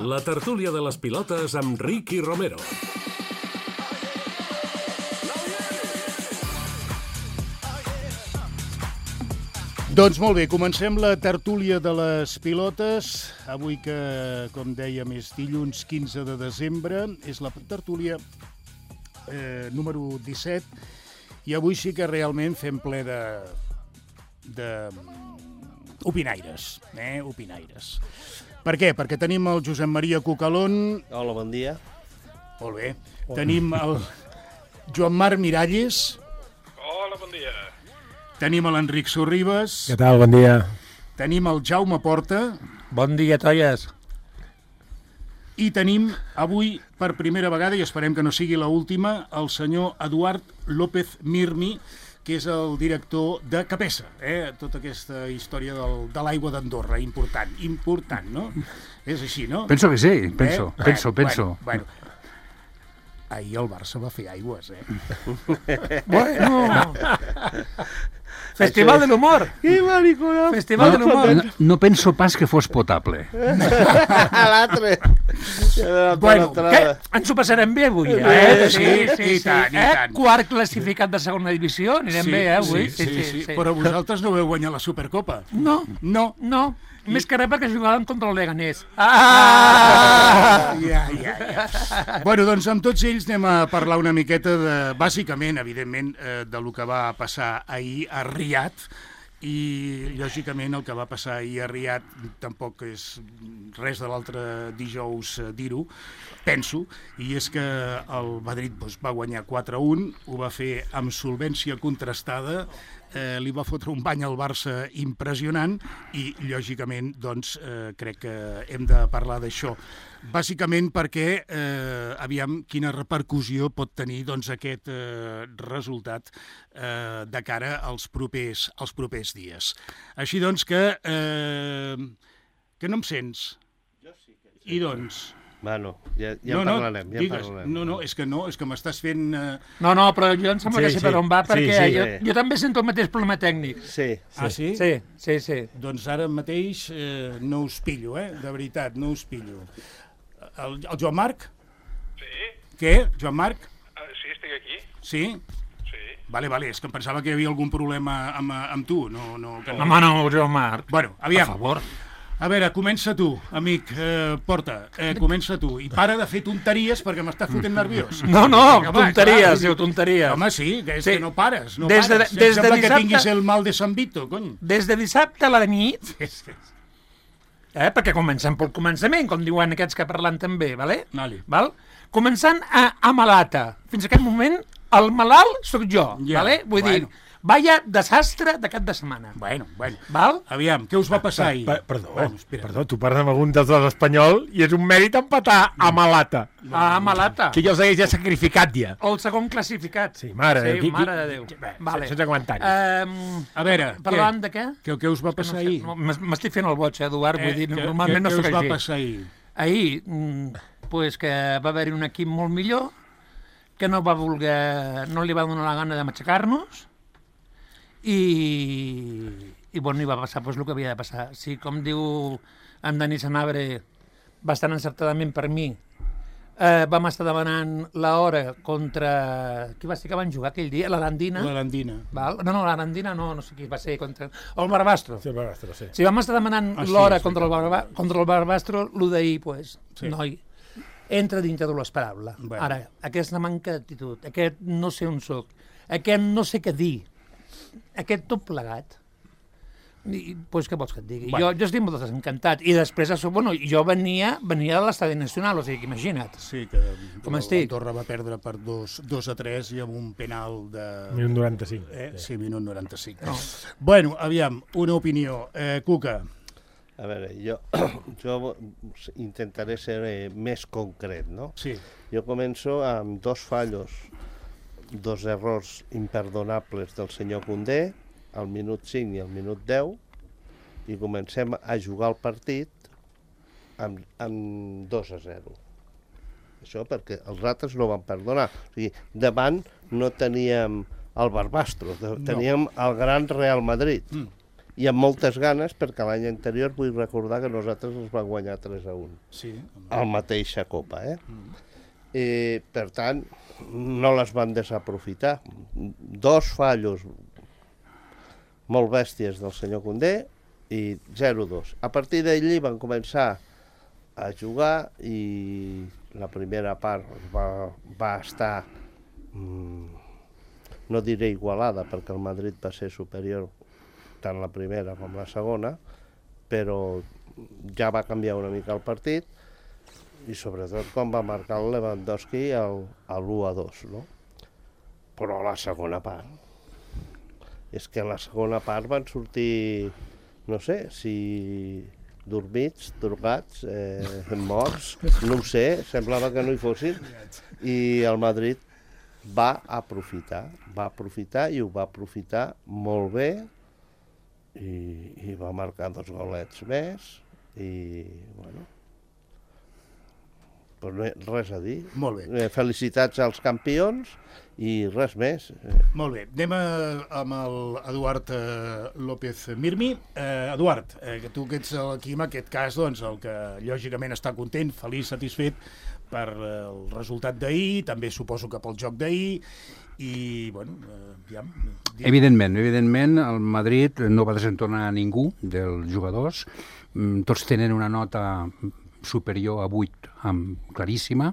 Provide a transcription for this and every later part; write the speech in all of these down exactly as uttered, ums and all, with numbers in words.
La tertúlia de les pilotes amb Ricky Romero. Doncs molt bé, comencem la tertúlia de les pilotes. Avui que, com dèiem, és dilluns quinze de desembre, és la tertúlia eh, número disset, i avui sí que realment fem ple de... de opinaires, eh? Opinaires. Per què? Perquè tenim el Josep Maria Cucalón. Hola, bon dia. Molt bé. Hola. Tenim el Joan Marc Miralles. Hola, bon dia. Tenim l'Enric Sorribes. Què tal? Bon dia. Tenim el Jaume Porta. Bon dia, toies. I tenim avui, per primera vegada, i esperem que no sigui l'última, el senyor Eduard López Mirmi, que és el director de Capesa, eh? Tota aquesta història del, de l'aigua d'Andorra, important, important, no? És així, no? Penso que sí, penso, eh? penso, bueno, penso. Bueno, bueno. Ahir el Barça va fer aigües, eh? Bueno... Festival de l'humor. Que maricona. Festival de l'humor. No, no penso pas que fos potable. L'altre. Bueno, què? Ens ho passarem bé avui, eh? Eh, sí, sí, i tant, i eh? tant. Quart classificat de segona divisió, anirem Sí, bé, eh, avui? sí, sí, sí, sí. Però vosaltres no veu guanyar la Supercopa. No, No. no. Més que res perquè jugàvem contra el Leganés. Ah! Ja, ja, ja. Bueno, doncs amb tots ells anem a parlar una miqueta de, bàsicament, evidentment, eh, de lo que va passar ahir a Riad, i lògicament el que va passar ahir a Riad tampoc és res de l'altre dijous eh, dir-ho, penso, i és que el Madrid doncs, va guanyar quatre a un, ho va fer amb solvència contrastada, eh, li va fotre un bany al Barça impressionant i lògicament doncs, eh, crec que hem de parlar d'això. Bàsicament perquè, eh, aviam, quina repercussió pot tenir doncs, aquest eh, resultat eh, de cara als propers, als propers dies. Així doncs que... Eh, que no em sents? Jo sí que... I doncs... Bueno, ja, ja no, en parlarem, no, ja en digues, parlarem. no, no, és que no, és que m'estàs fent... Eh... No, no, però jo em sembla Sí, que sé sí. per on va, perquè Sí, sí, jo, sí. jo també sento el mateix problema tècnic. Sí, sí. Ah, sí? Sí, sí, sí. Doncs ara mateix eh, no us pillo, eh? De veritat, no us pillo. El, el Joan Marc? Sí? Què? Joan Marc? Uh, sí, estic aquí. Sí? Sí. Vale, vale, és que em pensava que hi havia algun problema amb, amb tu. No, no, que no. Home, no, Joan Marc. Bueno, A aviam. favor. A veure, comença tu, amic, eh, Porta, eh, comença tu. I para de fer tonteries perquè m'estàs fotent nerviós. No, no, Vinga, va, tonteries, clar, diu, tonteries. Home, sí, que és Sí. que no pares, no Des de- pares. des de Sembla que dissabte- tinguis el mal de San Vito, cony. Des de dissabte a la nit, eh, perquè comencem pel començament, com diuen aquests que parlen també, vale? Vale. Val? Començant a, a malata. Fins a aquest moment, el malalt sóc jo, Ja, vale? Vull bueno. dir, vaya desastre de cap de setmana. Bueno, bueno. Val? Aviam, què us va passar ahir? Ah, Per, perdó, Bueno, espera. perdó, tu parles amb algun dels dos espanyol i és un mèrit empatar a Malata, A malata. que jo s'hagués ja sacrificat ja. El segon classificat. Sí, mare de sí, Déu. mare de Déu. Bé, Vale. sense comentaris. Um, A veure, parlant què? de què? Què, què us va passar No sé, ahir? no, m'es- M'estic fent el boig, eh, Eduard, vull dir, què, normalment què, no què sóc us va així. passar ahir? Ahir, mm, pues que va haver-hi un equip molt millor, que no va voler, no li va donar la gana de matxacar-nos, i, i bueno, i va passar pues, el que havia de passar. Sí, com diu en Dani Sanabre, bastant encertadament per mi, eh, vam estar demanant l'hora contra... Qui va ser que van jugar aquell dia? L'Arandina? L'Arandina. Val? No, no, l'Arandina no, no sé qui va ser, contra... el Barbastro. Sí, Barbastro, sí. Si vam estar demanant Ah, sí, l'hora sí, contra, el barba, contra el Barbastro, el d'ahir, pues, Sí. noi, entra dintre de l'esperable. Bueno. Ara, aquesta manca d'actitud, aquest no sé on soc, aquest no sé què dir, aquest tot plegat, i, pues, què vols que et digui? Bueno. Jo, jo estic molt desencantat. I després, això, bueno, jo venia, venia de l'estadi nacional, o sigui, que imagina't. Sí, que Com estic? Andorra va perdre per dos, dos a tres i amb un penal de... Minut noranta-cinc. Eh? Sí, minut noranta-cinc. No. Bueno, aviam, una opinió. Eh, Cuca, A veure, jo, jo intentaré ser eh, més concret, no? sí. Jo començo amb dos fallos, dos errors imperdonables del senyor Koundé, al minut cinc i al minut deu, i comencem a jugar el partit amb, amb dos a zero. Això perquè els altres no van perdonar. O sigui, davant no teníem el Barbastro, teníem el gran Real Madrid. Mm. i amb moltes ganes, perquè l'any anterior vull recordar que nosaltres els vam guanyar tres a un. Sí. Al mateixa Copa, eh? Mm. I, per tant, no les van desaprofitar. Dos fallos molt bèsties del senyor Condé i zero dos. A partir d'allí van començar a jugar i la primera part va, va estar, mmm, no diré igualada, perquè el Madrid va ser superior tant la primera com la segona, però ja va canviar una mica el partit i sobretot quan va marcar el Lewandowski el, el u a dos, no? Però a la segona part, és que a la segona part van sortir, no sé, si dormits, drogats, eh, morts, no ho sé, semblava que no hi fossin, i el Madrid va aprofitar, va aprofitar i ho va aprofitar molt bé i, i va marcar dos golets més i, bueno, però res a dir. Molt bé. Felicitats als campions i res més. Molt bé. Anem a, amb el Eduard eh, López Mirmi. Eh, Eduard, eh, que tu que ets aquí en aquest cas, doncs, el que lògicament està content, feliç, satisfet per eh, el resultat d'ahir, també suposo que pel joc d'ahir, i, bueno, eh, ja... Evidentment, evidentment, el Madrid no va desentornar a ningú dels jugadors, tots tenen una nota superior a vuit, amb, claríssima,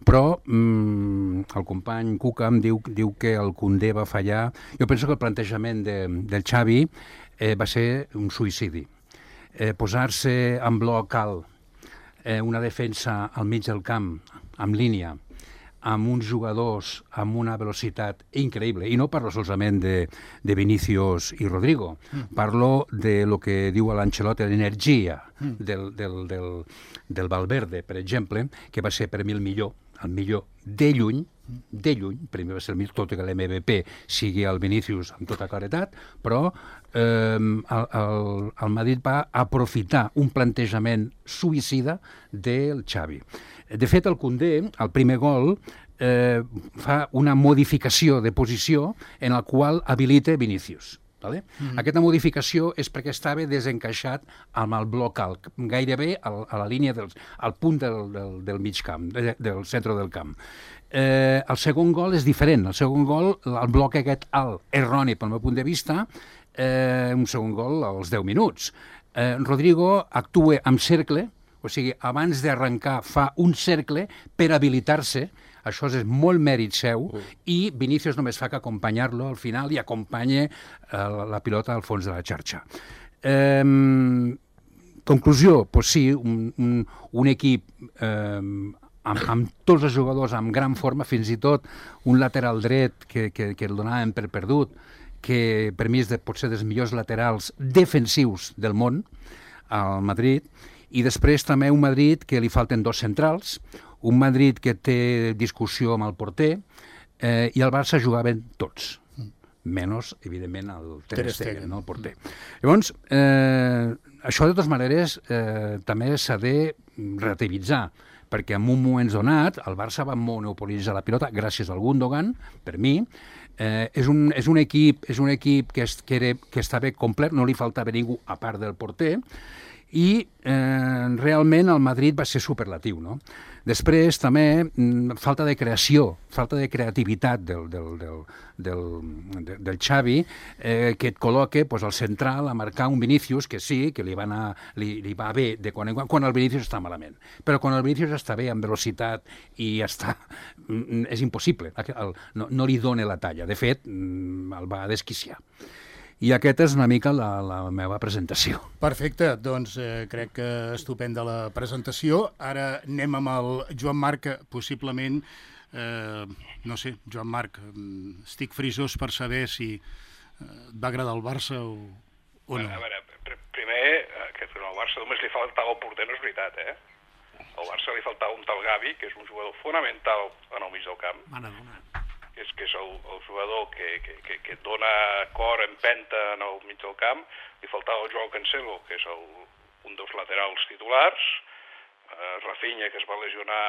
però mm, el company Cuca em diu, diu que el Condé va fallar. Jo penso que el plantejament de, del Xavi eh, va ser un suïcidi. Eh, posar-se en bloc alt, eh, una defensa al mig del camp, en línia, amb uns jugadors amb una velocitat increïble, i no parlo solament de, de Vinícius i Rodrigo, mm. parlo de lo que diu l'Ancelotti, l'energia mm. del, del, del, del Valverde, per exemple, que va ser per mi el millor, el millor de lluny, de lluny, primer va ser el millor, tot i que l'M V P sigui el Vinícius amb tota claretat, però eh, el, el, el Madrid va aprofitar un plantejament suïcida del Xavi. De fet, el Condé, el primer gol, eh, fa una modificació de posició en el qual habilita Vinícius. Vale? Mm-hmm. Aquesta modificació és perquè estava desencaixat amb el bloc alt, gairebé al, a la línia del, al punt del, del, del mig camp, de, del centre del camp. Eh, el segon gol és diferent. El segon gol, el bloc aquest alt, erroni pel meu punt de vista, eh, un segon gol als deu minuts. Eh, Rodrigo actua amb cercle, o sigui, abans d'arrencar fa un cercle per habilitar-se, això és molt mèrit seu, mm. i Vinícius només fa que acompanyar-lo al final i acompanya eh, la, la pilota al fons de la xarxa. Eh, conclusió, doncs sí, un, un, un equip eh, amb, amb tots els jugadors amb gran forma, fins i tot un lateral dret que, que, que el donaven per perdut, que per mi és de, potser dels millors laterals defensius del món, al Madrid, i després també un Madrid que li falten dos centrals, un Madrid que té discussió amb el porter, eh, i el Barça jugaven tots, menys, evidentment, el Ter Stegen, no, el porter. Llavors, eh, això de totes maneres eh, també s'ha de relativitzar, perquè en un moment donat el Barça va monopolitzar la pilota gràcies al Gundogan, per mi. Eh, és, un, és un equip, és un equip que, es, que, era, que estava complet, no li faltava ningú a part del porter, i eh, realment el Madrid va ser superlatiu, no? Després també mm, falta de creació, falta de creativitat del, del, del, del, del, del Xavi, eh, que et col·loca pues, al central a marcar un Vinícius que sí, que li va, anar, li, li va bé de quan en quan, quan el Vinícius està malament. Però quan el Vinícius està bé, amb velocitat, i està, mm, és impossible, el, no, no li dona la talla. De fet, mm, el va desquiciar. I aquesta és una mica la, la meva presentació. Perfecte, doncs eh, crec que estupenda la presentació. Ara anem amb el Joan Marc, possiblement, eh, no sé, Joan Marc, estic frisós per saber si eh, et va agradar el Barça o, o no. A veure, pr primer, que al Barça només li faltava el porter, no és veritat, eh? Al Barça li faltava un tal Gavi, que és un jugador fonamental en el mig del camp. M'han adonat. És que és el, el jugador que, que, que, que dona cor, empenta en el mig del camp. Li faltava el Joao Cancelo, que és el, un dels laterals titulars, eh, Rafinha, que es va lesionar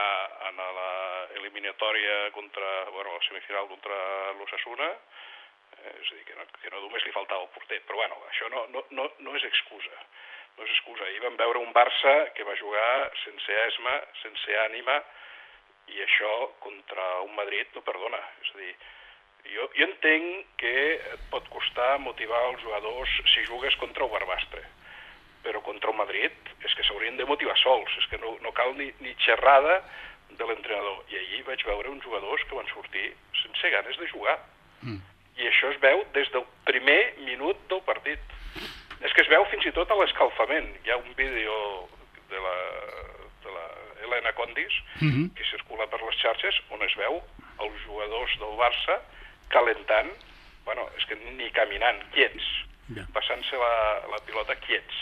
en la eliminatòria contra, bueno, la semifinal contra l'Osasuna, Eh, és a dir, que no, que no només li faltava el porter. Però bueno, això no, no, no, no és excusa. No és excusa. Ahir vam veure un Barça que va jugar sense esma, sense ànima, i això contra un Madrid no perdona. És a dir, jo, jo entenc que et pot costar motivar els jugadors si jugues contra el Barbastre, però contra el Madrid és que s'haurien de motivar sols, és que no, no cal ni, ni xerrada de l'entrenador. I ahir vaig veure uns jugadors que van sortir sense ganes de jugar. Mm. I això es veu des del primer minut del partit. És que es veu fins i tot a l'escalfament. Hi ha un vídeo de la, de la Helena Condis mm-hmm. que circula per les xarxes on es veu els jugadors del Barça calentant, bueno, és que ni caminant, quiets, yeah. passant-se la, la pilota quiets.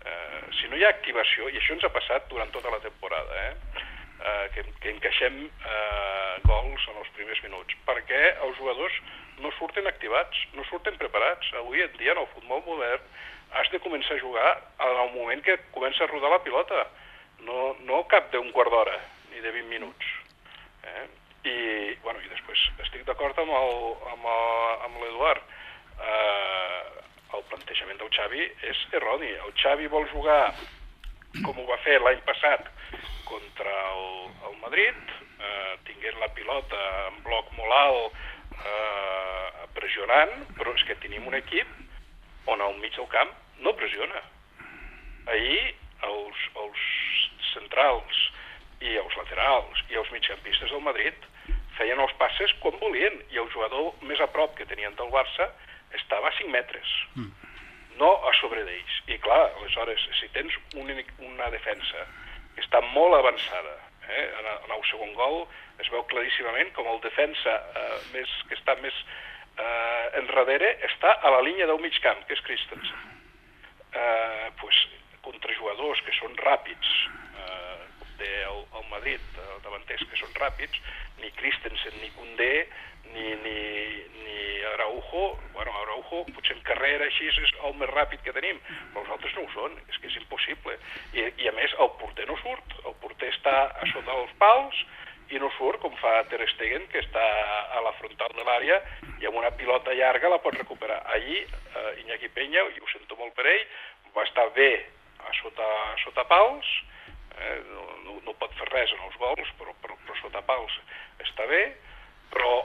Uh, si no hi ha activació, i això ens ha passat durant tota la temporada, eh? Uh, que, que encaixem uh, gols en els primers minuts, perquè els jugadors no surten activats, no surten preparats. Avui en dia, en el futbol modern, has de començar a jugar en el moment que comença a rodar la pilota, no, no cap d'un quart d'hora, ni de vint minuts. Eh? I, bueno, i després estic d'acord amb el, amb el, amb l'Eduard. Uh, el plantejament del Xavi és erroni. El Xavi vol jugar com ho va fer l'any passat contra el, el Madrid, eh, tinguent la pilota en bloc molt alt, eh, pressionant, però és que tenim un equip on al mig del camp no pressiona. Ahir els, els centrals i els laterals i els migcampistes del Madrid feien els passes com volien, i el jugador més a prop que tenien del Barça estava a cinc metres, mm. no a sobre d'ells. I clar, aleshores, si tens un, una defensa que està molt avançada, eh? en, en el segon gol es veu claríssimament com el defensa eh, més, que està més eh, enrere està a la línia del mig camp, que és Christensen. Eh, pues, contra jugadors que són ràpids, eh, del el Madrid, eh, davanters que són ràpids, ni Christensen, ni Koundé, ni, ni, ni Araujo, bueno, Araujo potser en carrera així és el més ràpid que tenim, però els altres no ho són, és que és impossible. I, i a més el porter no surt, el porter està a sota els pals i no surt com fa Ter Stegen, que està a la frontal de l'àrea i amb una pilota llarga la pot recuperar. Allí eh, Iñaki Peña, i ho sento molt per ell, va estar bé a sota, a sota pals, eh, no, no, no pot fer res en els gols, però, però, però sota pals està bé, però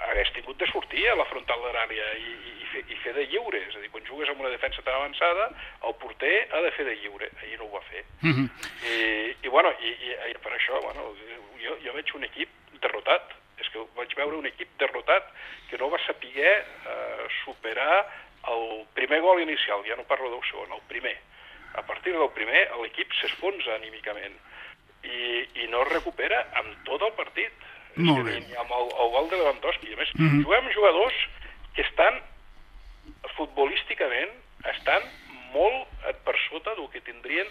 hagués tingut de sortir a la frontal de l'àrea i, i, fer, i fer de lliure. És a dir, quan jugues amb una defensa tan avançada, el porter ha de fer de lliure. Ahir no ho va fer. Mm-hmm. I, i, bueno, i, i per això, bueno, jo, jo veig un equip derrotat. És que vaig veure un equip derrotat que no va saber eh, superar el primer gol inicial. Ja no parlo del segon, el primer. A partir del primer, l'equip s'esfonsa anímicament i, i no es recupera amb tot el partit. Molt bé. Amb el, el gol de Lewandowski. A més, mm-hmm. juguem amb jugadors que estan futbolísticament estan molt per sota del que tindrien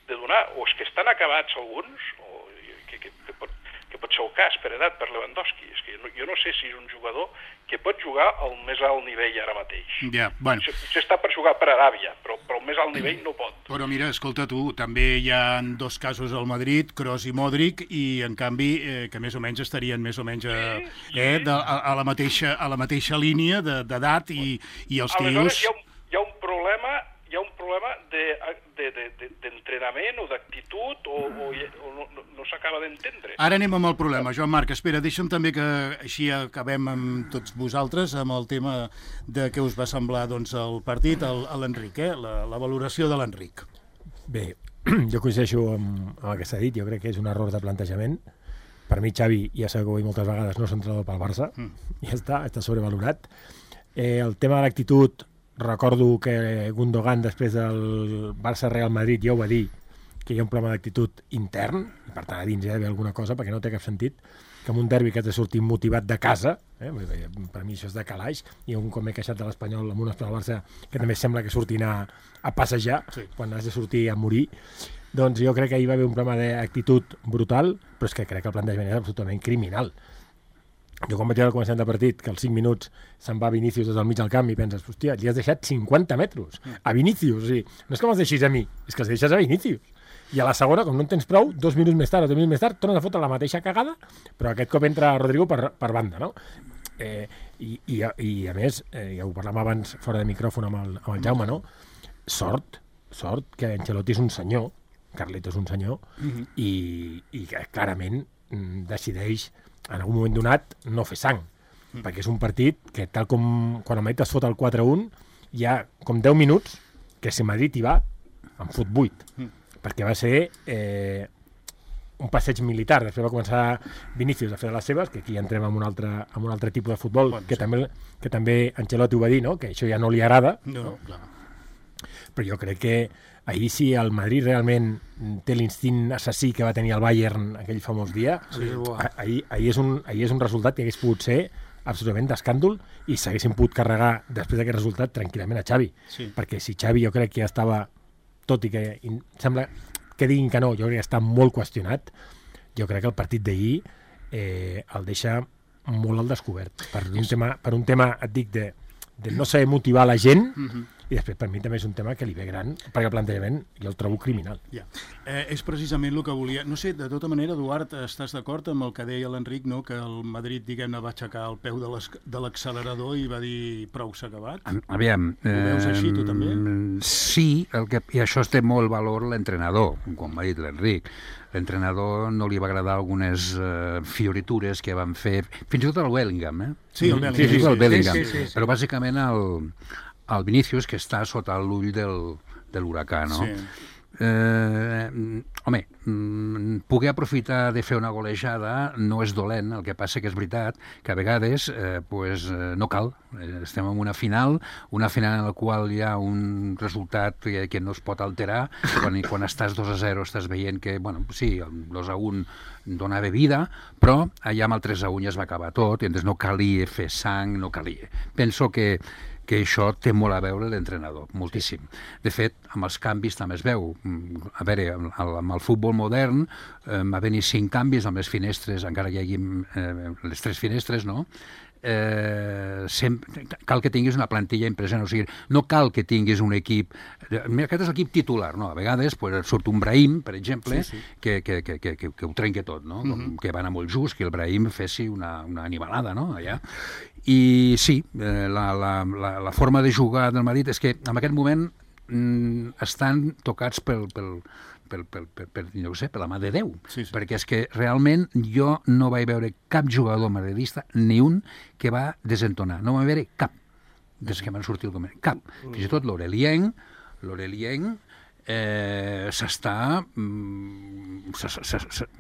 de donar, o és que estan acabats alguns, o que, que, que, pot, que pot ser el cas per edat, per Lewandowski. És que jo no, jo no sé si és un jugador que pot jugar al més alt nivell ara mateix. Ja, bueno. Potser està per jugar per Aràbia, però, però al més alt nivell no pot. Però mira, escolta tu, també hi ha dos casos al Madrid, Kroos i Modric, i en canvi eh, que més o menys estarien més o menys a, sí, sí. Eh, de, a, a, la, mateixa, a la mateixa línia d'edat i, i els tios... Aleshores hi ha un, hi ha un problema, hi ha un problema de, de, de, de, d'entrenament o d'actitud o, o, o no, no, no s'acaba d'entendre. Ara anem amb el problema, Joan Marc. Espera, deixa'm també que així acabem amb tots vosaltres amb el tema de què us va semblar doncs, el partit, el, l'Enric, eh? la, la valoració de l'Enric. Bé, jo coincideixo amb, amb el que s'ha dit, jo crec que és un error de plantejament. Per mi Xavi, ja s'ha dit moltes vegades, no és entrenador pel Barça, mm. ja està, està sobrevalorat. Eh, el tema de l'actitud, recordo que Gundogan després del Barça-Real Madrid ja ho va dir, que hi ha un problema d'actitud intern, i per tant a dins hi ha d'haver alguna cosa, perquè no té cap sentit que en un derbi que has de sortir motivat de casa, eh, per mi això és de calaix, i un cop m'he queixat de l'Espanyol amb un Espanyol Barça que també sembla que surtin a, a passejar, sí. quan has de sortir a morir, doncs jo crec que hi va haver un problema d'actitud brutal, però és que crec que el plantejament és absolutament criminal. Jo quan vaig veure al començament del partit que als cinc minuts se'n va Vinícius des del mig del camp i penses, hòstia, li has deixat cinquanta metres a Vinícius, o sigui, no és que me'ls deixis a mi, és que els deixes a Vinícius. I a la segona, com no en tens prou, dos minuts més tard o dos minuts més tard, tornes a fotre la mateixa cagada, però aquest cop entra Rodrigo per, per banda, no? Eh, I, i, i a més, eh, ja ho parlàvem abans fora de micròfon amb el, amb el Jaume, no? Sort, sort que Ancelotti és un senyor, Carleto és un senyor, uh-huh. i, i que clarament mm, decideix en algun moment donat no fer sang, uh-huh. perquè és un partit que tal com quan el Madrid es fot el quatre a un hi ha com deu minuts que si Madrid hi va en fot vuit, uh-huh. perquè va ser eh, un passeig militar. Després va començar Vinícius a fer les seves, que aquí ja entrem en un altre, en un altre tipus de futbol, bon, que, sí. també, que també Ancelotti ho va dir, no? Que això ja no li agrada. No, no, clar. Però jo crec que ahir si el Madrid realment té l'instint assassí que va tenir el Bayern aquell famós dia, sí. ahir, ahir, és un, ahir és un resultat que hagués pogut ser absolutament d'escàndol i s'haguessin pogut carregar després d'aquest resultat tranquil·lament a Xavi. Sí. Perquè si Xavi jo crec que ja estava, tot i que in, sembla que diguin que no, jo crec que està molt qüestionat, jo crec que el partit d'ahir eh, el deixa molt al descobert. Per un tema, per un tema et dic, de, de no saber motivar la gent, uh-huh. i després per mi també és un tema que li ve gran, perquè el plantejament jo el trobo criminal. Ja. Eh, és precisament el que volia... No sé, de tota manera, Eduard, estàs d'acord amb el que deia l'Enric, no? Que el Madrid, diguem-ne, va aixecar el peu de l'accelerador i va dir prou s'ha acabat? Aviam... Ho veus així, tu també? Sí, el que, i això té molt valor l'entrenador, com ha dit l'Enric. L'entrenador no li va agradar algunes uh, fioritures que van fer, fins i tot el Bellingham, eh? Sí, el Bellingham. Sí, sí, el Bellingham. Sí, sí, sí, sí. Però bàsicament el... el Vinícius, que està sota l'ull del, de l'huracà, no? Sí. Eh, home, poder aprofitar de fer una golejada no és dolent, el que passa que és veritat que a vegades eh, pues, no cal. Estem en una final, una final en la qual hi ha un resultat que, que no es pot alterar, quan, quan estàs dos a zero estàs veient que, bueno, sí, el dos a un donava vida, però allà amb el tres a un ja es va acabar tot, i llavors no calia fer sang, no calia. Penso que que això té molt a veure l'entrenador, moltíssim. De fet, amb els canvis també es veu. A veure, amb el futbol modern eh, va venir cinc canvis amb les finestres, encara que hi hagi eh, les tres finestres, no? Eh, sempre, cal que tinguis una plantilla impressionant, o sigui, no cal que tinguis un equip, mira, aquest és l'equip titular, no? A vegades pues, surt un Brahim, per exemple, sí, sí. Que, que, que, que, que ho trenca tot, no? Com, uh-huh. Que va anar molt just, que el Brahim fessi una, una animalada, no? Allà. I sí, eh, la, la, la, la forma de jugar del Madrid és que en aquest moment mm, estan tocats pel, pel, pel, pel, pel, pel, no sé, per la mà de Déu, sí, sí. Perquè és que realment jo no vaig veure cap jugador madridista, ni un, que va desentonar. No vaig veure cap, des que van sortir el coment. Cap. Fins i tot l'Aurelien, l'Aurelien eh, s'està mm,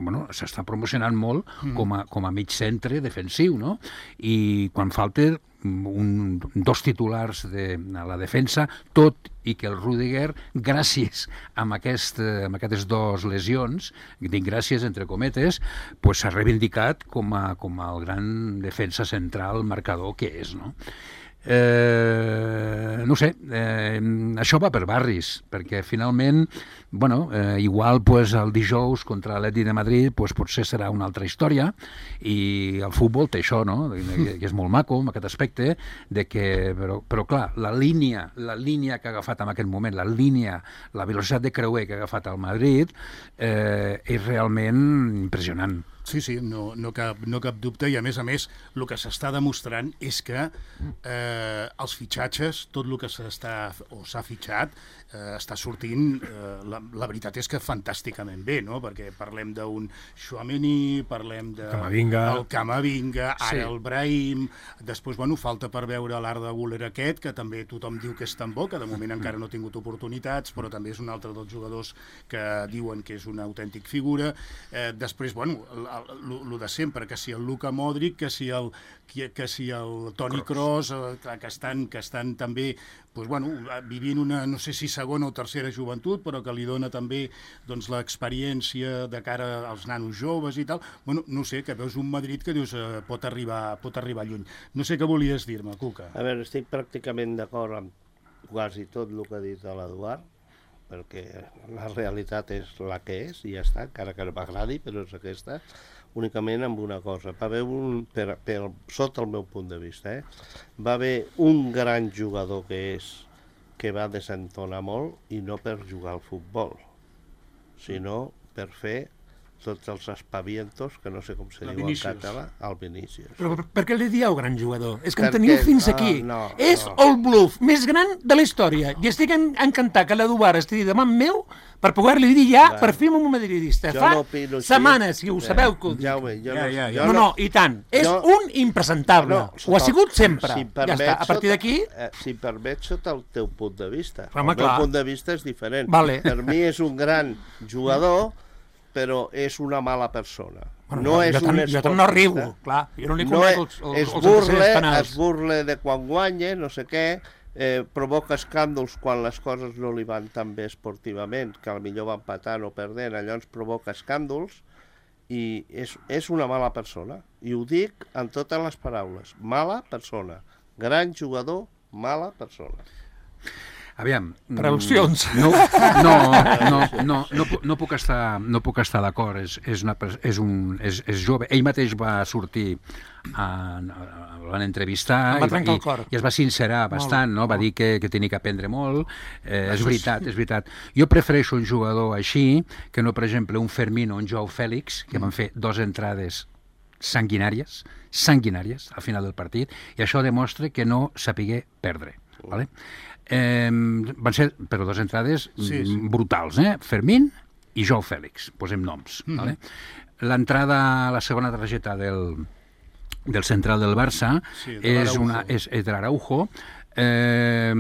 bueno, s'està promocionant molt mm. com, a, com a mig centre defensiu, no? I quan falta un, dos titulars de a la defensa, tot i que el Rüdiger, gràcies a aquest, amb aquestes dues lesions, dic gràcies entre cometes, pues s'ha reivindicat com a, com a el gran defensa central marcador que és, no? Eh, no sé, eh, això va per barris, perquè finalment, bueno, eh, igual pues, el dijous contra l'Atlètic de Madrid pues, potser serà una altra història, i el futbol té això, no? Que, que és molt maco, en aquest aspecte, de que, però, però clar, la línia, la línia que ha agafat en aquest moment, la línia, la velocitat de creuer que ha agafat el Madrid, eh, és realment impressionant. Sí, sí, no, no, cap, no cap dubte, i a més a més el que s'està demostrant és que eh, els fitxatges, tot el que s'està o s'ha fitxat, eh, està sortint, eh, la, la veritat és que fantàsticament bé, no? Perquè parlem d'un Tchouaméni, parlem de Camavinga, el Camavinga, ara sí. El Brahim, després, bueno, falta per veure l'Arda Güler aquest, que també tothom diu que és tan bo, que de moment encara no ha tingut oportunitats, però també és un altre dels jugadors que diuen que és una autèntic figura. Eh, després, bueno, el de sempre, que si el Luka Modric, que si el, que, que si el Toni Kroos, que, que, estan, que estan també pues, bueno, vivint una, no sé si segona o tercera joventut, però que li dona també doncs, l'experiència de cara als nanos joves i tal. Bueno, no sé, que veus un Madrid que dius eh, pot, arribar, pot arribar lluny. No sé què volies dir-me, Cuca. A veure, estic pràcticament d'acord amb quasi tot el que ha dit l'Eduard, perquè la realitat és la que és i ja està, encara que no m'agradi, però és aquesta, únicament amb una cosa. Va haver un, per, per, sota el meu punt de vista, eh, va haver un gran jugador que és que va desentonar molt, i no per jugar al futbol, sinó per fer tots els espavientos, que no sé com se La diu en Vinícius. català, el Vinícius. Però per, per què li dieu gran jugador? És que en Perquè- teniu fins ah, aquí. no, és no. el bluff més gran de la història. I estic en, encantat que l'Eduard estigui davant meu per poder-li dir ja, Va. per fi amb un madridista. Jo Fa no opino així. setmanes, si ho Eh, sabeu que ho dic. Jaume, jo Ja, no, ja, ja. jo No, no, i tant. És jo- un impresentable. No, ho ha sigut sempre. Si em ja permets, està. A partir sota- d'aquí... Eh, si em permets, sota el teu punt de vista. Home, el meu clar. punt de vista és diferent. Vale. Per mi és un gran jugador, però és una mala persona. Bueno, no jo, és jo, un tant, jo tant no esportista. arribo, clar. Jo no li No conec és, els, els, es els burle, antecedents penals. es burle de quan guanya, no sé què, eh, provoca escàndols quan les coses no li van tan bé esportivament, que potser va empatant o perdent, llavors provoca escàndols, i és, és una mala persona. I ho dic en totes les paraules. Mala persona. Gran jugador, mala persona. Aviam... mm, Traduccions. No, no, no, no, no, pu- no puc estar, no puc estar d'acord. És, és, una, pers- és, un, és, és jove. Ell mateix va sortir, a, a, l'han entrevistar Em va i, trencar el i, cor. i es va sincerar bastant, no? Va dir que, que tenia que aprendre molt. Eh, és veritat, és veritat. Jo prefereixo un jugador així que no, per exemple, un Fermín o un Joao Fèlix, que van fer dos entrades sanguinàries, sanguinàries al final del partit, i això demostra que no sapigué perdre. Vale? Eh, van ser, però, dues entrades Sí, sí. mm, brutals, eh? Fermín i Joao Fèlix, posem noms. Mm -hmm. Vale? L'entrada, la segona targeta del, del central del Barça Sí, de és, l'Araujo. una, és, és de l'Araujo. Eh,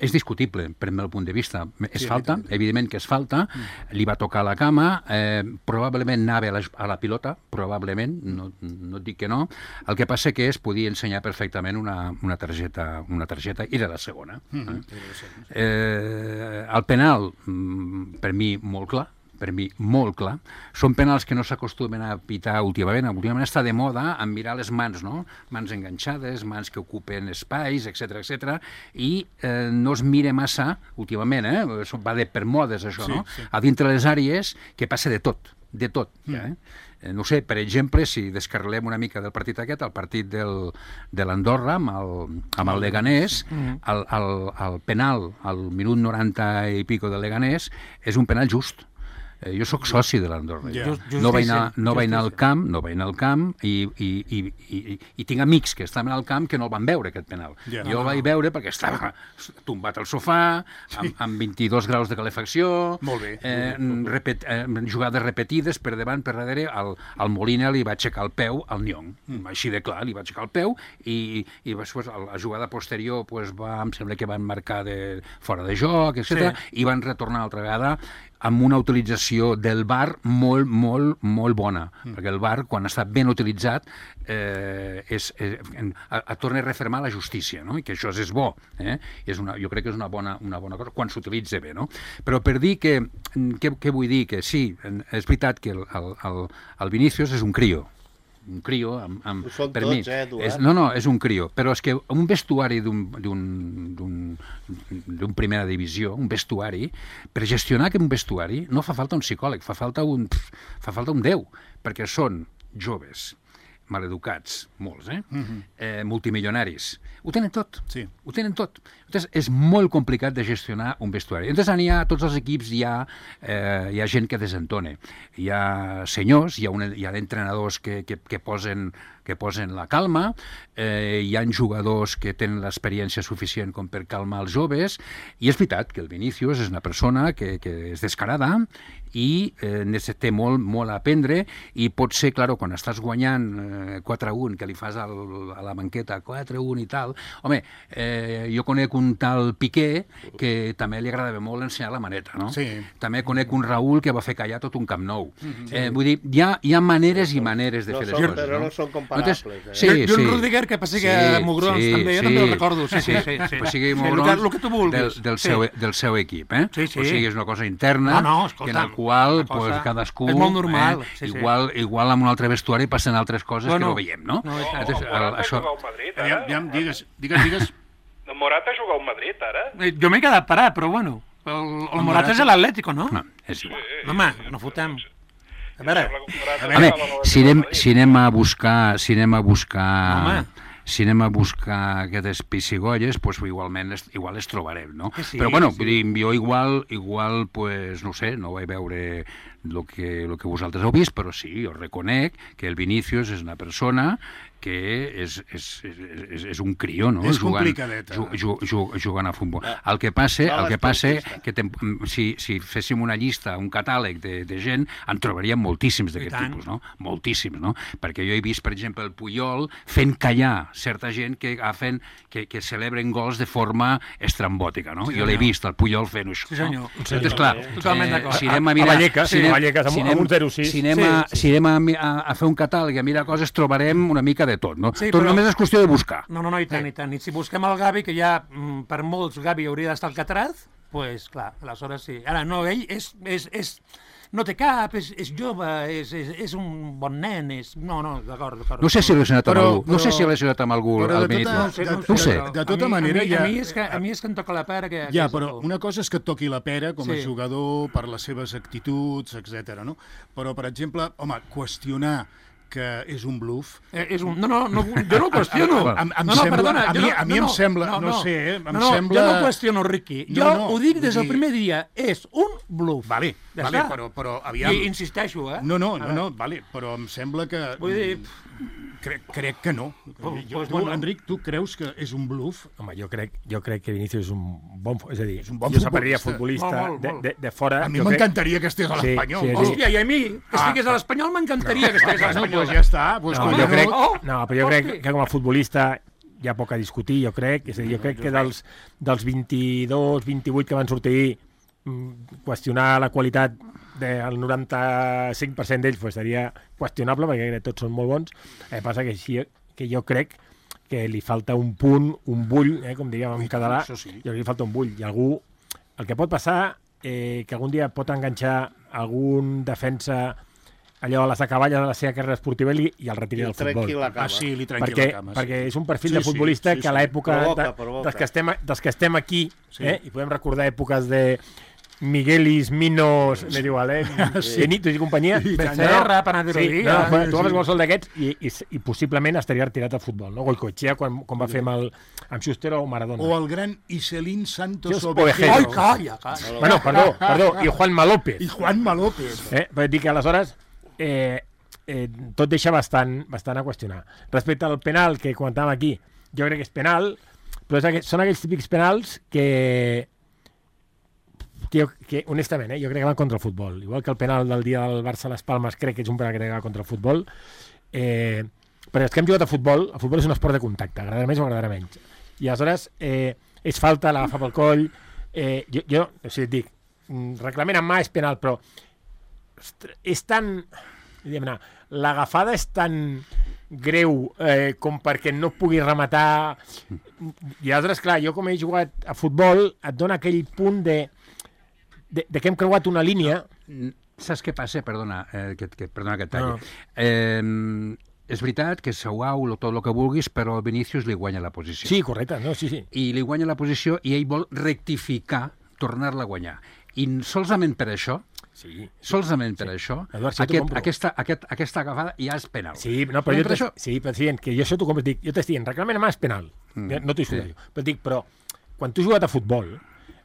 és discutible, per meu punt de vista. És Sí, falta, evidentment. evidentment que és falta. Mm. Li va tocar la cama, eh, probablement anava a la, a la pilota, probablement, no, no et dic que no. El que passa que es podia ensenyar perfectament una, una targeta, una targeta, i era la segona. Mm. Eh? Eh, el penal, mm, per mi, molt clar, per mi, molt clar. Són penals que no s'acostumen a pitar últimament. Últimament està de moda en mirar les mans, no? Mans enganxades, mans que ocupen espais, etcètera, etcètera, i eh, no es mira massa, últimament, eh? Això va de per modes, això, Sí, no? sí. A dintre les àrees, que passa de tot, de tot, ja, eh? Eh, No sé, per exemple, si descarrilem una mica del partit aquest, el partit del, de l'Andorra amb el, amb el Leganés, el, el, el penal al minut noranta i pico del Leganés és un penal just. Eh, jo sóc soci de l'Andorra. Ja. Just- No vaig anar, justícia, no vaig anar al justícia. camp, no vaig anar al camp i, i, i, i, i tinc amics que estaven al camp que no el van veure, aquest penal. Ja. Jo el vaig veure perquè estava tombat al sofà, amb, amb vint-i-dos graus de calefacció, Molt bé. eh, repet, eh, jugades repetides per davant, per darrere, al, al Molina li va aixecar el peu al Nyong, mm. així de clar, li va aixecar el peu, i, i després a la jugada posterior pues, va, em sembla que van marcar de, fora de joc, etcètera, sí. I van retornar altra vegada amb una utilització del V A R molt, molt, molt bona, mm. perquè el V A R, quan està ben utilitzat, eh, és, és, a, a torna a refermar la justícia, no? I que això és bo, eh? És una, jo crec que és una bona, una bona cosa, quan s'utilitza bé, no? Però per dir que, què, què vull dir? Que sí, és veritat que el, el, el, el Vinícius és un crio, un crio, amb, amb, Ho són per tots, mi, eh, Eduard? és, no, no, és un crio, però és que un vestuari d'un d'un- d'un- d'un primera divisió, un vestuari, per gestionar aquest vestuari no fa falta un psicòleg, fa falta un, fa falta un déu, perquè són joves, maleducats, molts, eh? Mhm. eh multimilionaris. Ho tenen tot. Sí. Ho tenen tot. Llavors, és molt complicat de gestionar un vestuari. Llavors, n'hi ha, a tots els equips hi ha, eh, hi ha gent que desentona. Hi ha senyors, hi ha, una, hi ha entrenadors que, que, que, posen, que posen la calma, eh, hi ha jugadors que tenen l'experiència suficient com per calmar els joves, i és veritat que el Vinícius és una persona que, que és descarada i eh, té molt, molt a aprendre, i pot ser, clar, quan estàs guanyant eh, quatre a un, que li fas al, a la banqueta quatre a un i tal, home, eh, jo conec un tal Piqué que també li agradava molt ensenyar la maneta, no? Sí. També conec un Raúl que va fer callar tot un Camp Nou. Mm-hmm. eh, vull dir, hi ha, hi ha maneres i maneres de No fer les són- coses, però no? no són comparables, eh? Sí, I un sí. Rudiger que passi que Sí, Mugrons, sí, també, jo sí. també el recordo. Sí, sí, sí. sí. Pues sigui Sí, Mugrons el que, el que tu vulguis. del, del, Sí. seu, del seu equip, eh? Sí, sí. O sigui, és una cosa interna, No, no, que en escolta'm, el qual una cosa- pues, cadascú... és molt normal, Eh, sí, sí. igual, igual amb un altre vestuari passen altres coses Bueno, que no veiem, no? no, i tant. Llavors, el el, Morata això... juga al Madrid, Aviam, ara? aviam, digues, digues, digues. El Morata juga al Madrid, ara? Eh, Jo m'he quedat parat, però bueno. El, el, el Morata és l'Atlético, no? No, és igual. No, home, no fotem. A veure, Sembla que el Morata Home, estava a la si anem, Madrid. si anem a buscar, si anem a buscar Home. si anem a buscar aquestes pissigolles, pues, igualment les, igual les trobarem, no? Sí, Però bueno, sí. vull dir, jo igual, igual pues, no sé, no vaig veure el que, lo que vosaltres heu vist, però sí, jo reconec que el Vinícius és una persona que és, és, és, és un crió, no? És jugant, complicadeta. ju, ju, ju, jugant a futbol. El que passa, el que passa que tem, si, si féssim una llista, un catàleg de, de gent, en trobaríem moltíssims d'aquest tipus, no? Moltíssims, no? Perquè jo he vist, per exemple, el Puyol fent callar certa gent que agafen, que, que celebren gols de forma estrambòtica, no? Sí, jo l'he vist, el Puyol fent això. Sí, senyor. No? Entonces, clar, Totalment d'acord. si anem a A mirar... Vallecas, sí, si anem, a Vallecas, amb- si amb anem- un zero sis. Si anem, Sí, a, sí. si anem a, a, a fer un catàleg i a mirar coses, trobarem una mica de tot, no? Sí, tot però- només és qüestió de buscar. No, no, no, i tant, i tant. I si busquem el Gavi, que ja, mm, per molts, Gavi hauria d'estar al Catraz, doncs, pues, clar, aleshores sí. Ara, no, ell és... és, és no té cap, és, és jove, és, és, és un bon nen, és... No, no, d'acord, d'acord. No sé si l'he relacionat amb Però- algú. No sé però- si l'he relacionat amb algú, però de el Benito. tota- No ho sé, no ho No ho sé. però De tota a mi, manera, a mi, ja- a mi, és que, a mi és que em toca la pera que... Ja, que però és- una cosa és que et toqui la pera com a Sí. jugador per les seves actituds, etcètera. No? Però, per exemple, home, qüestionar que és un bluff... Eh, és un... No, no, no, jo no ho qüestiono. Em- em no, no, sembla- perdona, a jo mi- no, a mi no, em no, sembla- no, no no, sé, eh, em no, no, sembla- Jo no qüestiono, Riqui. No, Jo no, ho dic des del vull dir- primer dia. És un bluff. Vale, Ja vale, està. però, però aviam... I insisteixo, eh? No, no, no, A no, veure. vale, però em sembla que... Vull dir... Crec, crec que no. Pues- Jo, pues tu, bueno. Enric, tu creus que és un bluff? Home, jo crec, jo crec que Vinícius és un bon... És a dir, És un bon jo separaria futbolista. futbolista Molt, molt, de, molt. de, de fora... A mi jo crec- m'encantaria que estigués a Sí, l'Espanyol. sí, sí. Hòstia, i a mi, que estigués a l'Espanyol, m'encantaria que estigués a Bueno, l'Espanyol. doncs ja està. Doncs No, com jo no, crec, Oh, no, però jo crec hosti. que com a futbolista hi ha poc a discutir, jo crec. És a dir, jo crec que dels, dels vint-i-dos, vint-i-vuit que van sortir, mm, qüestionar la qualitat del noranta-cinc per cent d'ells pues, seria qüestionable, perquè crec que tots són molt bons. Eh, passa que, així, que jo crec que li falta un punt, un bull, eh, com diríem en català, això sí. jo crec que li falta un bull. I algú, el que pot passar, eh, que algun dia pot enganxar algun defensa allò a les acaballes de la seva carrera esportiva i, i el retiri I del futbol. trenqui la cama. Ah, sí, li trenqui Perquè, la cama. perquè és un perfil Sí, de sí, futbolista sí, que a sí. l'època Provoca, de, provoca. dels, que estem, dels que estem aquí, Sí. eh, i podem recordar èpoques de Miguelis, Minos, m'és igual, eh? Sí. Benitos i companyia. Becerra, Panaderodia. Sí, no, no, tu agafes qualsevol d'aquests i, i, i possiblement estaria retirat del futbol, no? Goicoechea, quan, quan va fer amb, el, amb Schuster o Maradona. O el gran Iselín Santos Dios, Ovejero. Ai, calla, calla. Bueno, perdó, perdó, i Juanma López. I Juanma López. Eh? Però dic que aleshores eh, eh, tot deixa bastant, bastant a qüestionar. Respecte al penal que comentàvem aquí, jo crec que és penal, però és aqu són aquells típics penals que, que, jo, que honestament, eh, jo crec que van contra el futbol. Igual que el penal del dia del Barça a les Palmes crec que és un penal que va contra el futbol. Eh, però els que hem jugat a futbol, el futbol és un esport de contacte, agradarà més o agradarà menys. I aleshores eh, és falta, l'agafa pel coll. Eh, jo, jo, o sigui, et dic, mm, reglament en mà és penal, però ostres, és tan... diguem-ne, l'agafada és tan greu eh, com perquè no pugui rematar. I aleshores, clar, jo com he jugat a futbol, et dona aquell punt de, de, de que hem creuat una línia. Saps què passa? Perdona, eh, que, que, perdona que et talli. No. Eh, és veritat que Sauau, tot el que vulguis, però el Vinícius li guanya la posició. Sí, correcte, no? Sí, sí. I li guanya la posició i ell vol rectificar, tornar-la a guanyar. I solament per això, Sí, solament per Sí. això, Eduard, sí, t'ho aquest, compro. aquesta, aquest, aquesta agafada ja és penal. sí, no, però Només jo per t'estic això- sí, però dient que jo això t'ho compro, dic, jo t'estic dient, reglament en mà és penal. Mm, No t'ho sí. sí. Però dic, però quan tu has jugat a futbol,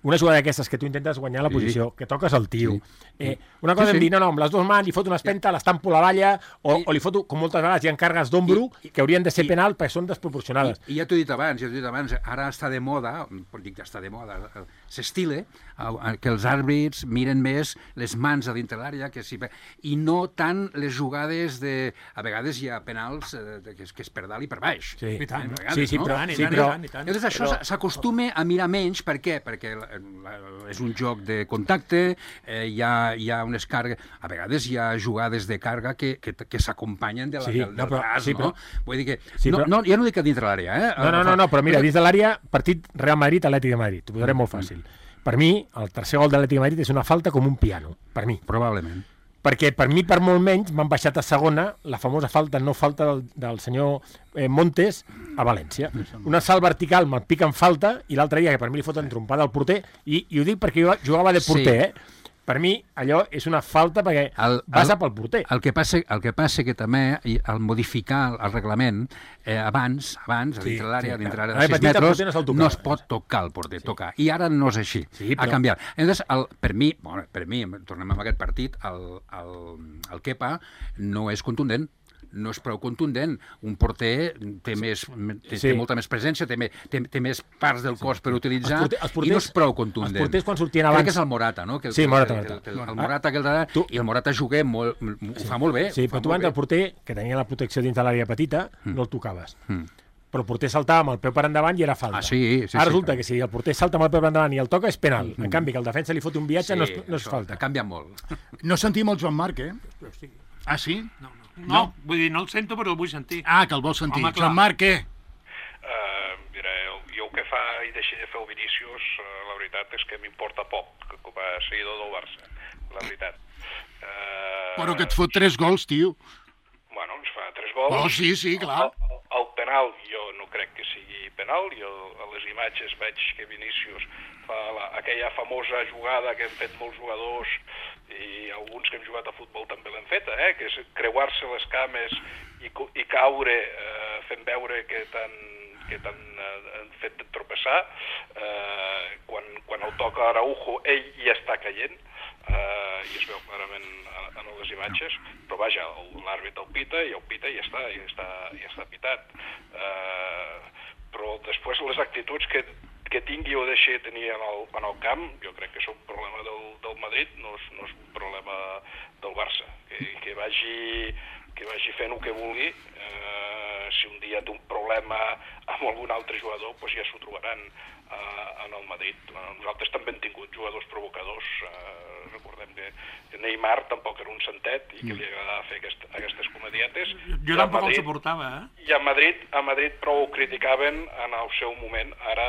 una jugada d'aquestes que tu intentes guanyar la Sí. posició, que toques el tio. Sí. Eh, una cosa Sí, sí, sí. em dir, no, no, amb les dues mans li foto una espenta, l'estampo a la valla, o, I- o li foto, com moltes vegades hi ha càrregues d'ombro, I- i- que haurien de ser i- penal perquè són desproporcionades. I, I ja t'ho he dit abans, ja t'ho he dit abans, ara està de moda, pot dir que està de moda, eh, s'estila eh, que els àrbits miren més les mans a dintre l'àrea que si, i no tant les jugades de... A vegades hi ha penals eh, de, que, és, que és per dalt i per baix. Sí. I tant. A vegades, Sí, sí, no? però- I tant, i sí, tant, però- i tant, i tant. Llavors això Però- s'acostuma a mirar menys, per què? Perquè la, la, és un joc de contacte, eh, hi, ha, hi ha unes càrregues, a vegades hi ha jugades de càrrega que, que, que s'acompanyen de la, Sí, del, del no, però- braç, sí, no? però- Vull dir que, Sí, no, però- no, ja no dic a dintre l'àrea, eh? No, no, no, no, però mira, dins de l'àrea, partit Real Madrid-Atlètic de Madrid, t'ho posaré molt fàcil. Per mi, el tercer gol de l'Atlètic de Madrid és una falta com un piano, per mi. Probablement. Perquè per mi, per molt menys, m'han baixat a segona la famosa falta, no falta del, del senyor eh, Montes a València. Una salt vertical me'l pica en falta i l'altre dia, que per mi li foten trompada al porter, i, i ho dic perquè jo jugava de porter, Sí. eh? per mi, allò és una falta perquè El- passa el- pel porter. El que passa, el que passa que també, i al modificar el reglament, eh, abans, abans, a Sí, dintre l'àrea, sí, dintre clar. l'àrea A de la sis petita el metres, porter no se'l tocava. no es pot tocar el porter, tocar. I ara no és així, Sí, ha però- canviat. Entonces, el, per mi, bueno, per mi, tornem a aquest partit, el, el, el Kepa no és contundent, no és prou contundent. Un porter té, més, té, Sí. té molta més presència, té, més, té, té més parts del cos per utilitzar, Els porter- els porters- i no és prou contundent. els porters quan sortien Crec abans- que és el Morata, no? Que el, Sí, Morata, que, Morata. que, el, el, el Ah, Morata que el de, tu- i el Morata jugué molt, ho fa molt bé. Sí, ho fa però tu molt abans bé. el porter, que tenia la protecció dins de l'àrea petita, no el tocaves. Mm. Però el porter saltava amb el peu per endavant i era falta. Ah, sí, sí, Ara sí, resulta clar. que si el porter salta amb el peu per endavant i el toca és penal. En canvi, que el defensa li fot un viatge no, és, no és això falta. Ha canviat molt. No sentim el Joan Marc, eh? Ah, sí? No, no. No, vull dir, no el sento, però el vull sentir. Ah, que el vols sentir. Home, clar. Joan Marc, què? Uh, mira, el, jo el que fa i deixi de fer el Vinícius, uh, la veritat és que m'importa poc, com a seguidor del Barça, la veritat. Uh, Però que et fot tres gols, tio. Bueno, ens fa tres gols. Oh, sí, sí, clar. El, el, el penal jo no crec que sigui penal. Jo a les imatges veig que Vinícius fa la, aquella famosa jugada que han fet molts jugadors i alguns que hem jugat a futbol també l'han feta, eh? Que és creuar-se les cames i, co- i caure eh, fent veure que t'han que t'han eh, fet tropeçar. Eh, quan, quan el toca Araujo, ell ja està caient, eh, i es veu clarament en, en les imatges, però vaja, el- l'àrbit el pita i el pita i ja està, ja està, ja està pitat. Eh, però després les actituds que, que tingui o deixi de tenir en el, en el camp, jo crec que és un problema del, del Madrid, no és, no és un problema del Barça. Que, que, vagi, que vagi fent el que vulgui, eh, si un dia té un problema amb algun altre jugador, doncs ja s'ho trobaran eh, en el Madrid. Nosaltres també hem tingut jugadors provocadors, eh, recordem que, que Neymar tampoc era un santet i que li agradava fer aquest, aquestes comedietes. Jo tampoc el suportava, eh? I a Madrid, a Madrid prou ho criticaven en el seu moment. Ara,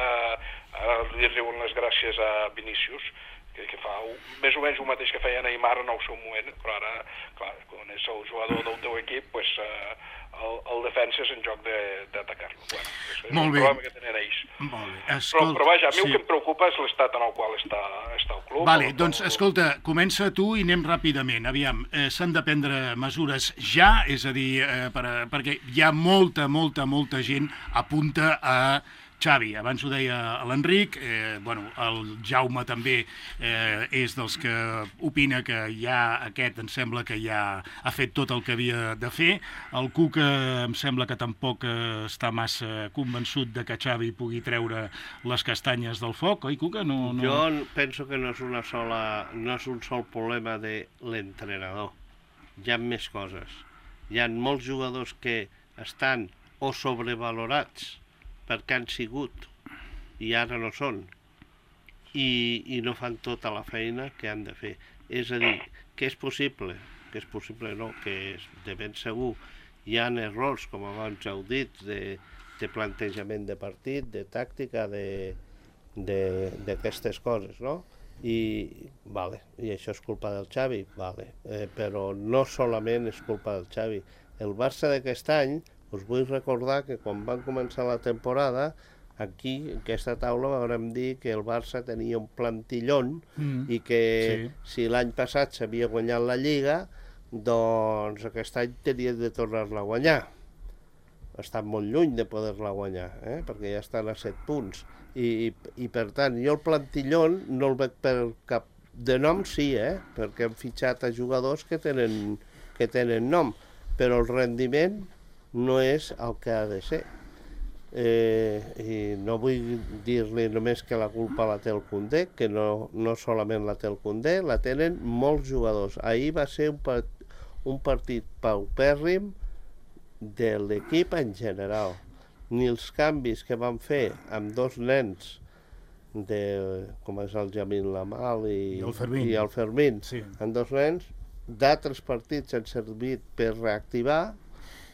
ara li riuen les gràcies a Vinícius, que, que fa un, més o menys el mateix que feia Neymar en el seu moment, però ara, clar, quan és el jugador del teu equip, pues, eh, el, el defensa és en joc d'atacar-lo. Bueno, és, és Molt un bé. problema que tenen ells. Molt bé. Però, Escolta, però vaja, a mi sí. el que em preocupa és l'estat en el qual està, està el club. Vale, el- doncs, el- escolta, comença tu i anem ràpidament. Aviam, eh, s'han de prendre mesures ja, és a dir, eh, per, a- perquè hi ha molta, molta, molta gent apunta a Xavi. Abans ho deia l'Enric, eh, bueno, el Jaume també eh, és dels que opina que ja aquest em sembla que ja ha fet tot el que havia de fer. El Cuca em sembla que tampoc eh, està massa convençut de que Xavi pugui treure les castanyes del foc, oi, Cuca? No, no... Jo penso que no és una sola, no és un sol problema de l'entrenador. Hi ha més coses. Hi ha molts jugadors que estan o sobrevalorats perquè han sigut i ara no són i, i no fan tota la feina que han de fer. És a dir, que és possible, que és possible no, que és de ben segur hi ha errors, com abans heu dit, de, de plantejament de partit, de tàctica, de, d'aquestes coses, no? I, vale, i això és culpa del Xavi, vale, eh, però no solament és culpa del Xavi. El Barça d'aquest any, us vull recordar que quan van començar la temporada, aquí, en aquesta taula, vam dir que el Barça tenia un plantillón Mm. i que Sí. si l'any passat s'havia guanyat la Lliga, doncs aquest any tenia de tornar-la a guanyar. Està molt lluny de poder-la guanyar, eh? Perquè ja estan a set punts. I, i, i per tant, jo el plantillón no el veig per cap de nom, sí, eh? Perquè hem fitxat a jugadors que tenen, que tenen nom, però el rendiment no és el que ha de ser. Eh, I no vull dir-li només que la culpa la té el Koundé, que no, no solament la té el Koundé, la tenen molts jugadors. Ahir va ser un, part, un partit paupèrrim de l'equip en general. Ni els canvis que van fer amb dos nens, de, com és el Jamil Lamal i, I el Fermín. i el Fermín, Sí. amb dos nens, d'altres partits han servit per reactivar.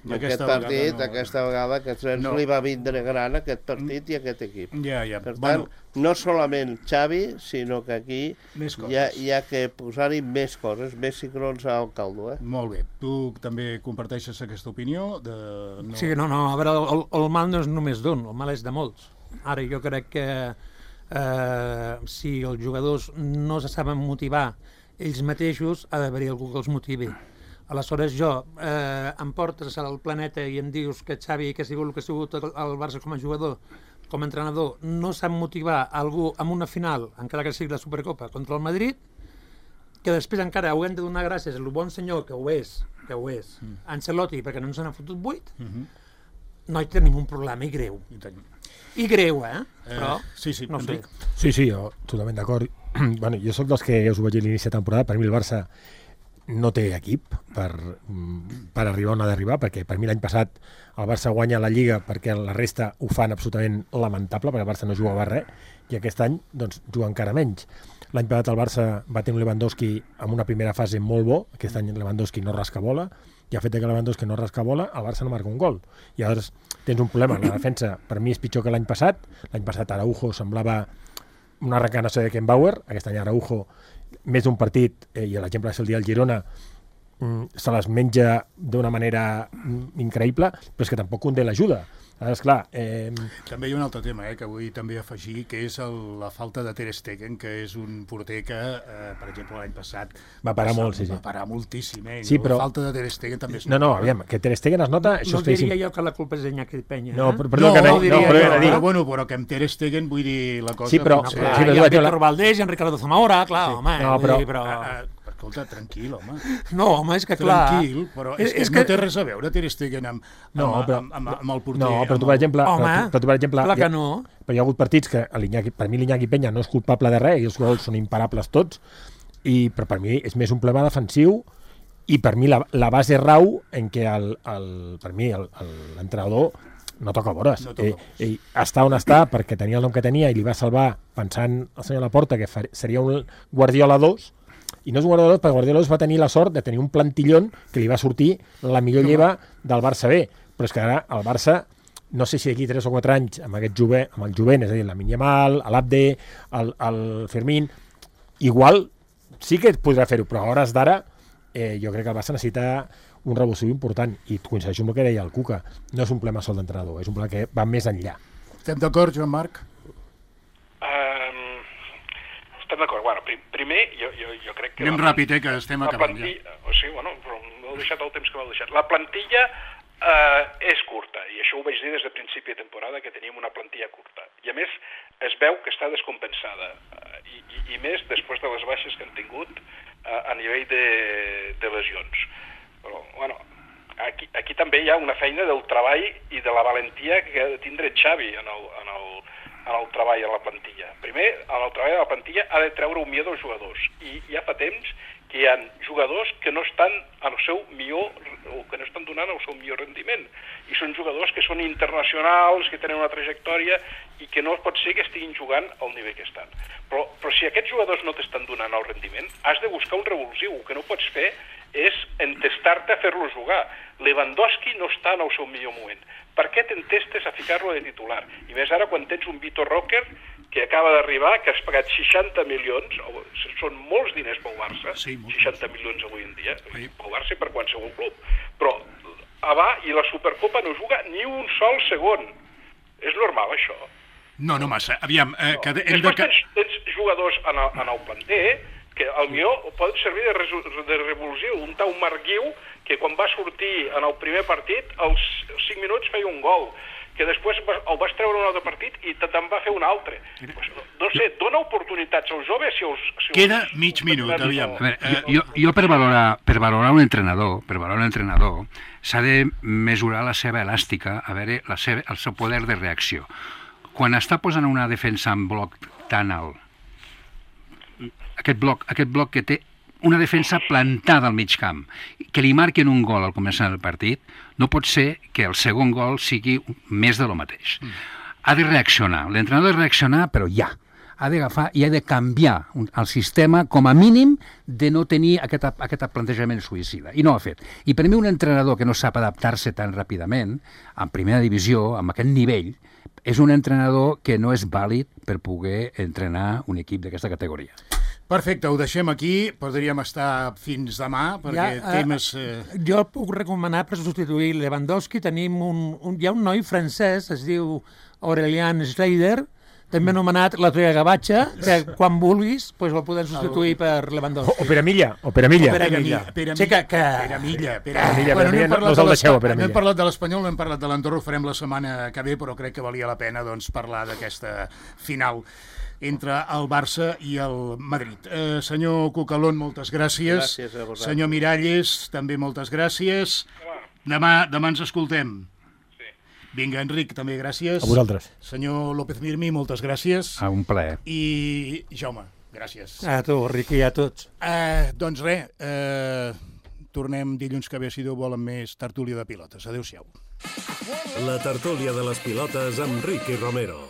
I Aquest aquesta partit, vegada no. aquesta vegada, aquest nens No. li va vindre gran aquest partit i aquest equip. Ja, ja. Per tant, Bueno, no solament Xavi, sinó que aquí Més coses. hi ha, hi ha que posar-hi més coses, més cigrons al caldo, eh? molt bé. Tu també comparteixes aquesta opinió? De... No... Sí, no, no, a veure, el, el mal no és només d'un, el mal és de molts. Ara jo crec que eh, si els jugadors no se saben motivar ells mateixos ha d'haver-hi algú que els motivi. Aleshores, jo, eh, em portes al planeta i em dius que Xavi, que ha sigut el que ha sigut el Barça com a jugador, com a entrenador, no sap motivar algú amb una final, encara que sigui la Supercopa, contra el Madrid, que després encara ho hem de donar gràcies al bon senyor, que ho és, que ho és, mm. Ancelotti, perquè no ens n'ha fotut vuit, mm -hmm. no hi tenim un problema, i greu. I greu, eh? Però, eh sí, sí, no sé. Sí, sí, jo totalment d'acord. Bueno, jo sóc dels que us ho vaig dir a l'inici de temporada, per mi el Barça no té equip per, per arribar on ha d'arribar, perquè per mi l'any passat el Barça guanya la Lliga perquè la resta ho fan absolutament lamentable, perquè el Barça no jugava res, i aquest any doncs, juga encara menys. L'any passat el Barça va tenir un Lewandowski amb una primera fase molt bo, aquest any Lewandowski no rasca bola, i el fet que Lewandowski no rasca bola, el Barça no marca un gol. I llavors tens un problema, la defensa per mi és pitjor que l'any passat, l'any passat Araujo semblava una reencarnació de Beckenbauer, aquest any Araujo més d'un partit, eh, i l'exemple és el dia del Girona, mm, se les menja d'una manera mm, increïble, però és que tampoc Koundé l'ajuda. És clar, eh... També hi ha un altre tema, eh, que vull també afegir, que és el, la falta de Ter Stegen, que és un porter que, eh, per exemple, l'any passat va parar molt, sí, sí. Va parar moltíssim, eh? Sí, però... La falta de Ter Stegen també és... No, no, aviam, que Ter Stegen es nota... Això no diria jo que la culpa és d'Iñaki Peña, eh? No, però, perdó, no, que no, no, no, no, però, però, dir... però, bueno, però que amb Ter Stegen vull dir la cosa... Sí, però... Potser... Clar, sí, hi ha la... Víctor Valdés i en Ricardo Zamora, clar, sí. home. No, però... Dir, però... Uh, uh, escolta, tranquil, home. No, home, és que clar... Tranquil, però és, és que, que no té res a veure Ter Stegen amb, amb, no, però, amb, amb, amb el porter. No, però tu, per exemple... Home, però tu, però tu, per exemple clar que ha, no. Però hi ha hagut partits que per mi l'Iñaki Peña no és culpable de res, i els gols són imparables tots, i, però per mi és més un problema defensiu, i per mi la, la base rau en què el, el, per mi l'entrenador no toca vores. No toca. Eh, eh, està on està perquè tenia el nom que tenia i li va salvar pensant el senyor Laporta que far, seria un Guardiola dos, i no és un Guardiola dos, perquè Guardiola dos va tenir la sort de tenir un plantillón que li va sortir la millor lleva del Barça B, però és que ara el Barça, no sé si d'aquí tres o quatre anys amb aquest jove, amb el jovent, és a dir, la Yamal, l'Abde, el, el Fermín, igual sí que podrà fer-ho, però a hores d'ara eh, jo crec que el Barça necessita un revulsiu important, i coincideixo amb el que deia el Cuca, no és un problema sol d'entrenador, és un problema que va més enllà. Estem d'acord, Joan Marc? Um, estem d'acord. Bueno, prim, primer, jo, jo, jo crec que... Anem la, ràpid, eh, que estem acabant plantilla, ja. O sigui, bueno, però m'heu deixat el temps que m'heu deixat. La plantilla uh, és curta, i això ho vaig dir des de principi de temporada, que teníem una plantilla curta. I a més, es veu que està descompensada, uh, i, i, i més després de les baixes que han tingut uh, a nivell de, de lesions. Però, bueno, aquí, aquí també hi ha una feina del treball i de la valentia que ha de tindre Xavi en el, en el, en el treball a la plantilla. Primer, en el treball a la plantilla ha de treure un millor dels jugadors. I ja fa temps que hi ha jugadors que no estan al seu millor, o que no estan donant el seu millor rendiment. I són jugadors que són internacionals, que tenen una trajectòria i que no pot ser que estiguin jugant al nivell que estan. Però, però si aquests jugadors no t'estan donant el rendiment, has de buscar un revulsiu. El que no pots fer és entestar-te a fer-lo jugar. Lewandowski no està en el seu millor moment. Per què t'entestes a ficar-lo de titular? I més ara quan tens un Vitor Roque que acaba d'arribar, que has pagat seixanta milions, són molts diners pel Barça, sí, seixanta milions avui en dia, sí. Pel Barça i per qualsevol club. Però a va, i la Supercopa no juga ni un sol segon. És normal, això? No, no massa. Aviam, eh, no. que... Hem Després de... tens, tens jugadors en el, en el planter que al millor poden servir de, resu, de revulsiu. Un tal Marc Guiu, que quan va sortir en el primer partit, als cinc minuts feia un gol, que després el vas treure un altre partit i te'n va fer un altre. Pues, no, no sé, dona oportunitats als joves si els... Si Queda els, mig minut, aviam. A veure, jo, jo, jo per, valorar, per valorar un entrenador, per valorar un entrenador, s'ha de mesurar la seva elàstica, a veure la seva, el seu poder de reacció. Quan està posant una defensa en bloc tan alt, aquest bloc, aquest bloc que té una defensa plantada al mig camp, que li marquen un gol al començar del partit, no pot ser que el segon gol sigui més de lo mateix. Ha de reaccionar, l'entrenador ha de reaccionar, però ja. Ha d'agafar i ha de canviar el sistema, com a mínim, de no tenir aquest, aquest plantejament suïcida. I no ho ha fet. I per mi un entrenador que no sap adaptar-se tan ràpidament, en primera divisió, amb aquest nivell, és un entrenador que no és vàlid per poder entrenar un equip d'aquesta categoria. Perfecte, ho deixem aquí, podríem estar fins demà, perquè ja, temes... Eh... Jo puc recomanar per substituir Lewandowski, tenim un, un, hi ha un noi francès, es diu Aurélien Schneider, també anomenat la Toya Gavatxa, que quan vulguis pues, el podem substituir per Lewandowski. O Peramilla, o Peramilla. O Peramilla. Peramilla. Sí, que... que... Peramilla. Peramilla, Bueno, Peramilla, no hem parlat no us de el deixeu, a l'Espa- no Peramilla. hem parlat de l'Espanyol, no hem parlat de l'Andorra, ho farem la setmana que ve, però crec que valia la pena doncs, parlar d'aquesta final entre el Barça i el Madrid. Eh, senyor Cucalón, moltes gràcies. Gràcies a vosaltres. Senyor Miralles, també moltes gràcies. Demà, demà ens escoltem. Vinga, Enric, també gràcies. A vosaltres. Senyor López Mirmi, moltes gràcies. Ah, un plaer. I Jaume, gràcies. A tu, Riqui, a tots. Eh, doncs res, eh, tornem dilluns que ve, si Déu vol, amb més tertúlia de pilotes. Adéu-siau. La tertúlia de les pilotes amb Riqui Romero.